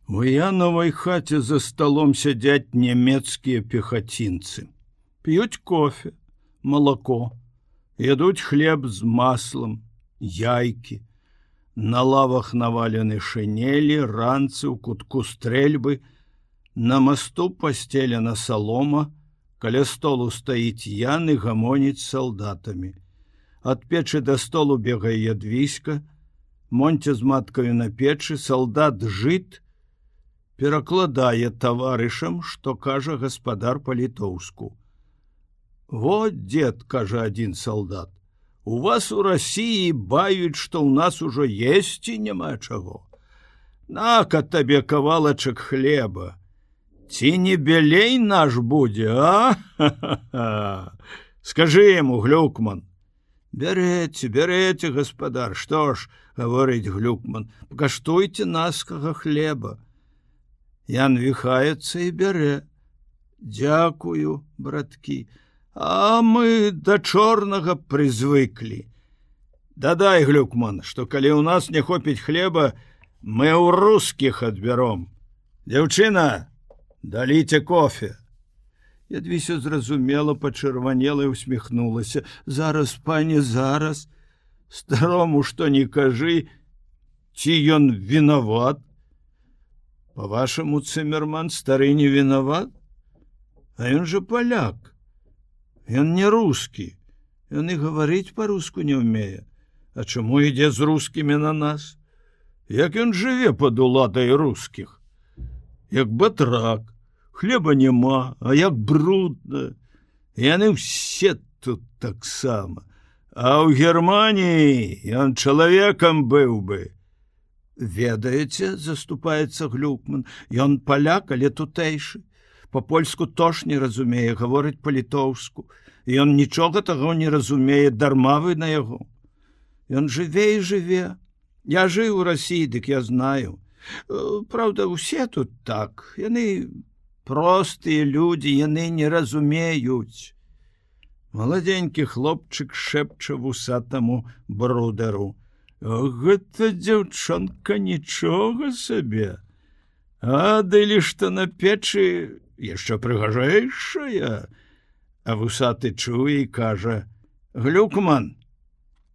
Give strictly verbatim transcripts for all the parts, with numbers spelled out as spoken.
У Яновай хаце за столом сядзяць нямецкія пехацінцы. П'юць кофе, малако, ядуць хлеб з маслом, яйкі. На лавах навалены шинелі, ранцы ў кутку стрэльбы. На мосту пастелена солома, каля столу стаіць Ян і гамоніць з салдатамі. Ад печы да столу бегае Ядвіська, Монця з маткаю на печы, салдат жыт, перакладае таварышам, што кажа гаспадар па-літоўску. «Вот, дед, — кажа адзін салдат, — у вас у России баюць, што ў нас ужо есці няма чаго. На-ка табе кавалачак хлеба. Ці не белей наш будзе, а? Ха-ха-ха! Скажы яму, Глюкман». «Бярэце, бярэце, гаспадар, што ж, — гаворыць Глюкман, — пакаштуйце наскага хлеба». Ян віхаецца і бярэ. «Дзякую, браткі, а мы да чорнага прызвыклі. Дадай, Глюкман, што калі ў нас не хопіць хлеба, мы ў рускіх адбяром. Дзяўчына, даліце кофе». Ядвіся зразумела, пачырванела і усміхнулася. «Зараз, пане, зараз. Старому што не кажы, ці ён вінават?» «По-вашаму, Циммерман, стары не виноват? А ён же поляк. Ён не русский. Ён и говорить по-руску не умее. А чему ідзе з рускімі на нас? Як ён жыве под уладай рускіх? Як батрак. Хлеба няма, а як брудна. Яны ўсе тут таксама. А ў Германии ён чалавекам быў бы». «Ведаеце, — заступаецца Глюкман, — ён поляк, але тутэйшы. По-польску тож не разумее, гаворыць па-літоўску. Ён нічога таго не разумее, дарма вы на яго. Ён жыве і жыве. Я жыў у России, дык я знаю. Правда, усе тут так. Яны простыя людзі, яны не разумеюць». Маладзенькі хлопчык шэпча вусатаму брудару: «Гэта дзяўчонка нічога сабе. А дылі што на печы яшчэ прыгажэйшая». А вусаты чуе і кажа: «Глюкман,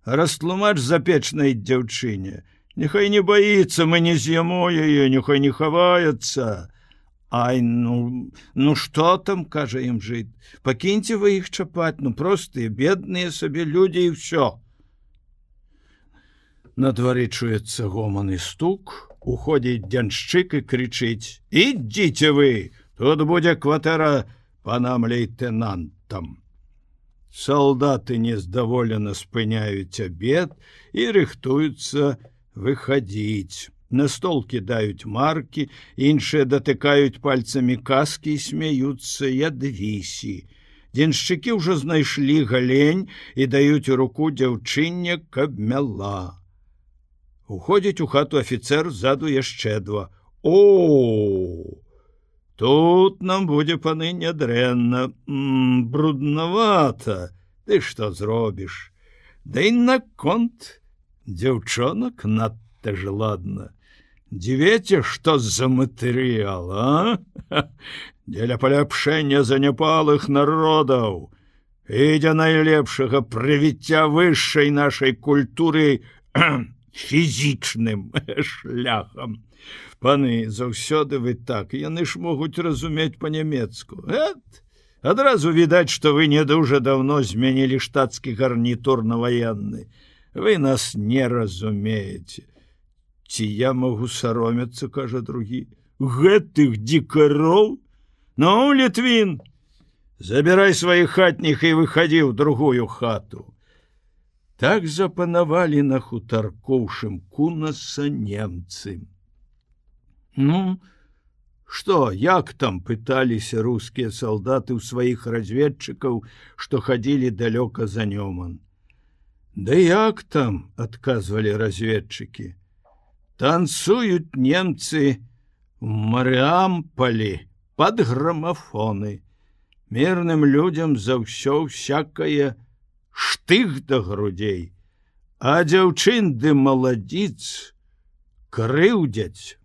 растлумач запечнай дзяўчыне. Няхай не баіцца, мы не з'ямо яе, няхай не хаваецца». «Ай, ну, ну што там, — кажа ім жыт, — пакіньце вы іх чапаць, ну простыя, бедныя сабе людзі і ўсё». На дворе чуецца гоман і стук, уходзіць дзяншчык і крычыць: «Ідзіце вы, тут будзе кватэра панам лейтенантам». Салдаты нездаволена спыняюць абед і рыхтуюцца выхадзіць. На стол кідаюць маркі, іншыя датыкаюць пальцамі каскі і смяюцца Ядвісі. Дзяншчыкі ўжо знайшлі галень і даюць у руку дзяўчыне, каб мяла. Уходзіць у хату афіцэр, ззаду яшчэ два. «О, тут нам будзе, паны, нядрэнна. М, бруднавата. Ты што зробіш? Да і наконт дзяўчонак надта ж ладна. Дзівеце, што за матэрыял, а? Дзеля паляпшэння заняпалых народаў і для найлепшага прывіцця вышэй нашай культуры фізічным шляхам. Паны, заўсёды вы так, яны ж могуць разумець па-нямецку. Эт, адразу відаць, што вы не дужа даўно змянілі штатскі гарнітур на ваенны. Вы нас не разумееце». «Ці я могу саромецца, — кажа другі, — гэтых дикароў? Ну, Літвін, забирай сваіх хатніх і выхадзі ў другую хату». Так запанавалі на хутарку Шымкунаса немцы. «Ну, што, як там?» — пыталіся рускія салдаты ў сваіх разведчыкаў, што хадзілі далёка за Нёман. «Да як там?» — адказвалі разведчыкі. «Танцуюць немцы в Марыамполі под грамафоны. Мірным людзям за ўсё всякае штых да грудзей, а дзяўчын ды маладзіц крыўдзяць